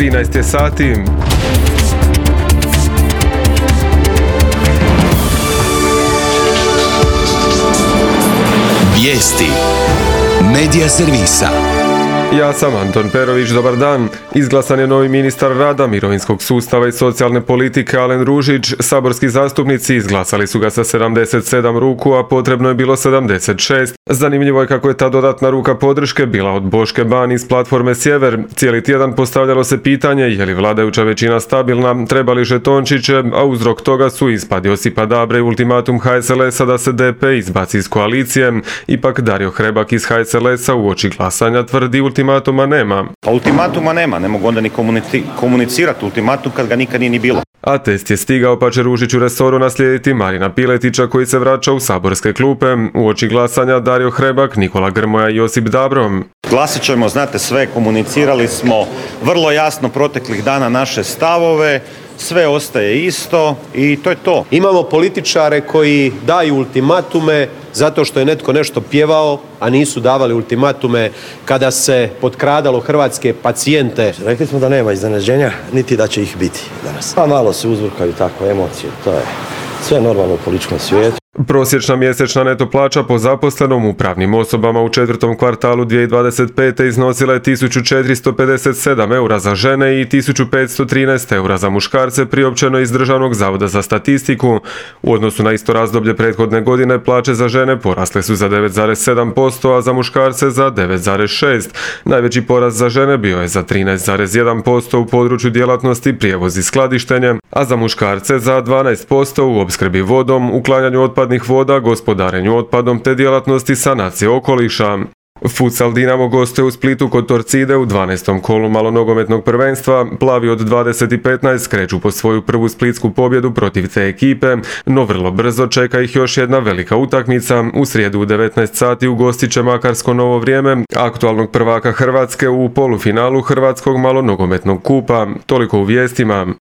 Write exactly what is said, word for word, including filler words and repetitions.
trinaest je sati. Vijesti Medija servisa. Ja sam Anton Perović, dobar dan. Izglasan je novi ministar rada, mirovinskog sustava i socijalne politike Alen Ružić. Saborski zastupnici izglasali su ga sa sedamdeset sedam ruku, a potrebno je bilo sedamdeset šest. Zanimljivo je kako je ta dodatna ruka podrške bila od Boške Ban iz platforme Sjever. Cijeli tjedan postavljalo se pitanje je li vladajuća većina stabilna, treba li žetončiće, a uzrok toga su ispad Josipa Dabre i ultimatum H S L S-a da se D P izbaci iz koalicije. Ipak Dario Hrebak iz H S L S-a uoči glasanja tvrdi ultimatuma nema. A ultimatuma nema, ne mogu onda ni komunici- komunicirati ultimatum kad ga nikad nije ni bilo. A test je stigao, pa će Ružić u resoru naslijediti Marina Piletića koji se vraća u saborske klupe. Uoči glasanja Dario Hrebak, Nikola Grmoja i Josip Dabro. Glasit ćemo, znate sve, komunicirali smo vrlo jasno proteklih dana naše stavove, sve ostaje isto i to je to. Imamo političare koji daju ultimatume zato što je netko nešto pjevao, a nisu davali ultimatume kada se potkradalo hrvatske pacijente. Rekli smo da nema iznenađenja, niti da će ih biti danas. Pa malo se uzburkaju tako emocije, to je sve normalno u političkom svijetu. Prosječna mjesečna neto plaća po zaposlenom u pravnim osobama u četvrtom kvartalu dvije tisuće dvadeset pete. iznosila je tisuću četiristo pedeset sedam eura za žene i tisuću petsto trinaest eura za muškarce, priopćeno iz Državnog zavoda za statistiku. U odnosu na isto razdoblje prethodne godine plaće za žene porasle su za devet zarez sedam posto, a za muškarce za devet zarez šest posto. Najveći porast za žene bio je za trinaest zarez jedan posto u području djelatnosti prijevoz i skladištenje, a za muškarce za dvanaest posto u opskrbi vodom, uklanjanju otpadnih voda, gospodarenju otpadom te djelatnosti sanacije okoliša. Futsal Dinamo gostuje u Splitu kod Torcide u dvanaestom kolu malonogometnog prvenstva. Plavi od dvadeset i petnaest kreću po svoju prvu splitsku pobjedu protiv te ekipe, no vrlo brzo čeka ih još jedna velika utakmica. U srijedu u devetnaest sati ugostit će Makarsko Novo Vrijeme, aktualnog prvaka Hrvatske u polufinalu Hrvatskog malonogometnog kupa. Toliko u vijestima.